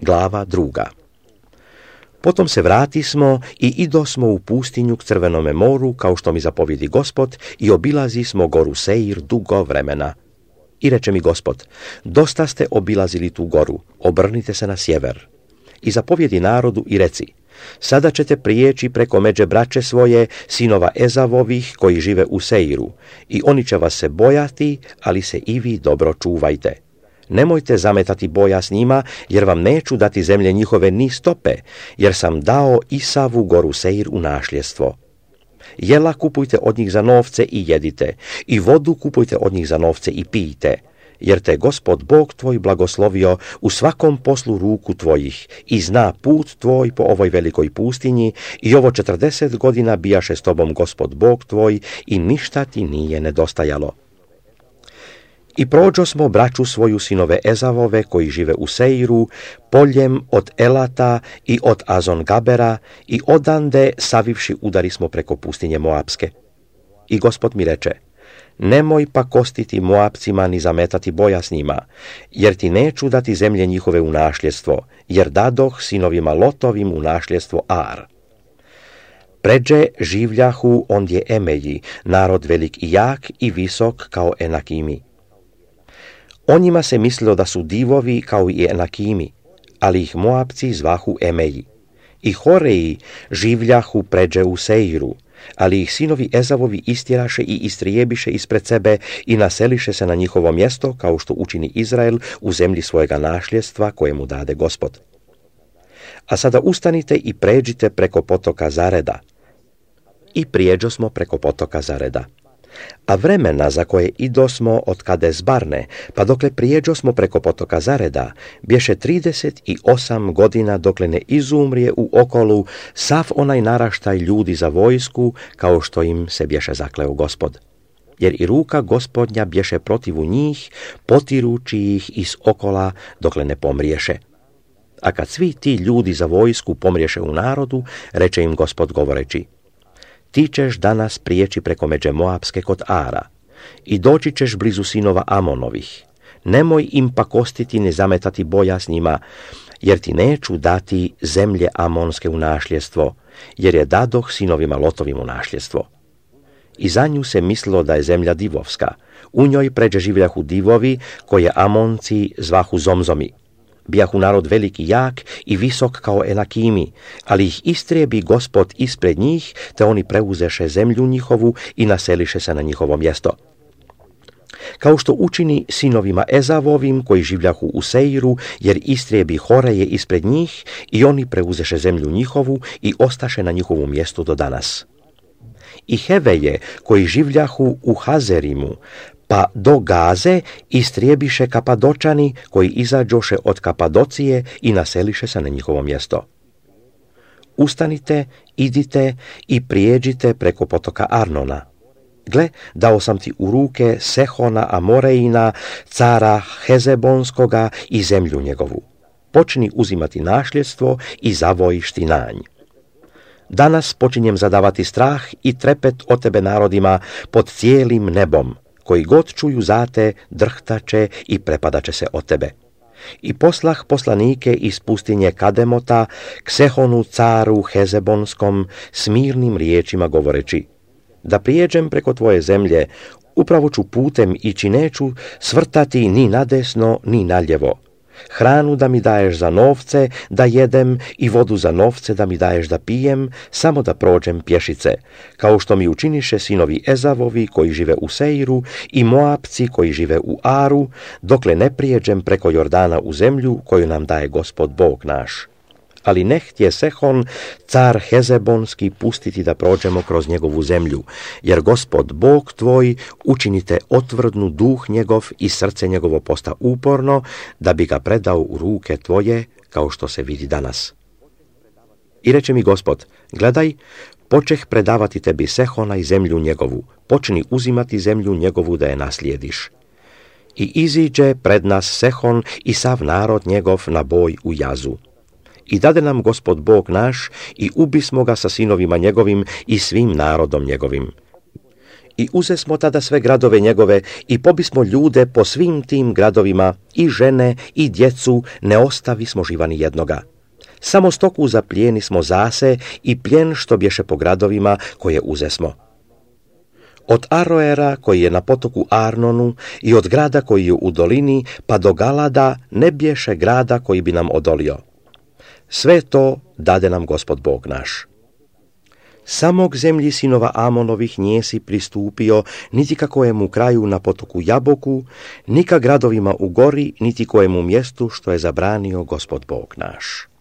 Glava 2. Potom se vratismo i idosmo u pustinju k Crvenome moru, kao što mi zapovjedi Gospod, i obilazismo goru Seir dugo vremena. I reče mi Gospod, dosta ste obilazili tu goru, obrnite se na sjever. I zapovjedi narodu i reci, sada ćete prijeći preko međe braće svoje, sinova Ezavovih, koji žive u Seiru, i oni će vas se bojati, ali se i vi dobro čuvajte. Nemojte zametati boja s njima, jer vam neću dati zemlje njihove ni stope, jer sam dao Isavu goru Seir u našljestvo. Jela kupujte od njih za novce i jedite, i vodu kupujte od njih za novce i pijte, jer te Gospod Bog tvoj blagoslovio u svakom poslu ruku tvojih i zna put tvoj po ovoj velikoj pustinji i ovo 40 godina bijaše s tobom Gospod Bog tvoj i ništa ti nije nedostajalo. I prođosmo braću svoju sinove Ezavove koji žive u Seiru, poljem od Elata i od Azon-Gabera i odande savivši udarismo preko pustinje Moapske. I Gospod mi reče, nemoj pakostiti Moapcima ni zametati boja s njima, jer ti neću dati zemlje njihove u našljestvo, jer dadoh sinovima Lotovim u našljestvo Ar. Pređe življahu ondje Emeji, narod velik i jak i visok kao Enakimi. O njima se mislilo da su divovi kao i Enakimi, ali ih Moapci zvahu Emeji. I Horeji življahu pređe u Seiru, ali ih sinovi Ezavovi istjeraše i istrijebiše ispred sebe i naseliše se na njihovo mjesto, kao što učini Izrael u zemlji svojega našljestva koje mu dade Gospod. A sada ustanite i pređite preko potoka Zareda. I prijeđosmo preko potoka Zareda. A vremena za koje idosmo od Kades Barne, pa dokle prijeđosmo preko potoka Zareda, bješe 38 godina dokle ne izumrije u okolu sav onaj naraštaj ljudi za vojsku, kao što im se bješe zakleo Gospod. Jer i ruka Gospodnja bješe protivu njih, potirući ih iz okola dokle ne pomriješe. A kad svi ti ljudi za vojsku pomriješe u narodu, reče im Gospod govoreći, ti ćeš danas prijeći preko međe Moapske kod Ara i doći ćeš blizu sinova Amonovih. Nemoj im pakostiti ni zametati boja s njima, jer ti neću dati zemlje Amonske u našljestvo, jer je dadoh sinovima Lotovim u našljestvo. I za nju se mislilo da je zemlja divovska. U njoj pređe življahu divovi, koje Amonci zvahu Zomzomi. Bijahu narod veliki jak i visok kao Enakimi, ali ih istrijebi Gospod ispred njih, te oni preuzeše zemlju njihovu i naseliše se na njihovo mjesto. Kao što učini sinovima Ezavovim koji življahu u Seiru, jer istrijebi Horeje ispred njih i oni preuzeše zemlju njihovu i ostaše na njihovu mjestu do danas. I Heveje koji življahu u Hazerimu, pa do Gaze istrijebiše Kapadočani koji izađoše od Kapadocije i naseliše se na njihovo mjesto. Ustanite, idite i prijeđite preko potoka Arnona. Gle, dao sam ti u ruke Sehona Amorejina, cara Hezebonskoga i zemlju njegovu. Počni uzimati našljestvo i zavojiš ti na nj. Danas počinjem zadavati strah i trepet o tebe narodima pod cijelim nebom, koji god čuju zate, drhtače i prepadaće se od tebe. I poslah poslanike iz pustinje Kademota k Sehonu caru Hezebonskom s mirnim riječima govoreći, da prijeđem preko tvoje zemlje, upravo ću putem ići, neću svrtati ni nadesno ni naljevo. Hranu da mi daješ za novce da jedem i vodu za novce da mi daješ da pijem, samo da prođem pješice, kao što mi učiniše sinovi Ezavovi koji žive u Seiru i Moapci koji žive u Aru, dokle ne prijeđem preko Jordana u zemlju koju nam daje Gospod Bog naš. Ali ne htje Sehon, car Hezebonski, pustiti da prođemo kroz njegovu zemlju, jer Gospod Bog tvoj učinite otvrdnu duh njegov i srce njegovo posta uporno, da bi ga predao u ruke tvoje, kao što se vidi danas. I reče mi Gospod, gledaj, počeh predavati tebi Sehona i zemlju njegovu, počni uzimati zemlju njegovu da je naslijediš. I iziđe pred nas Sehon i sav narod njegov na boj u Jazu. I dade nam Gospod Bog naš i ubismo ga sa sinovima njegovim i svim narodom njegovim. I uzesmo tada sve gradove njegove i pobismo ljude po svim tim gradovima, i žene, i djecu, ne ostavismo živa ni jednoga. Samo stoku zaplijeni smo zase i plijen što bješe po gradovima koje uzesmo. Od Aroera koji je na potoku Arnonu i od grada koji je u dolini pa do Galada ne bješe grada koji bi nam odolio. Sve to dade nam Gospod Bog naš. Samog zemlji sinova Amonovih nije si pristupio, niti ka kojemu kraju na potoku Jaboku, ni ka gradovima u gori, niti kojemu mjestu što je zabranio Gospod Bog naš.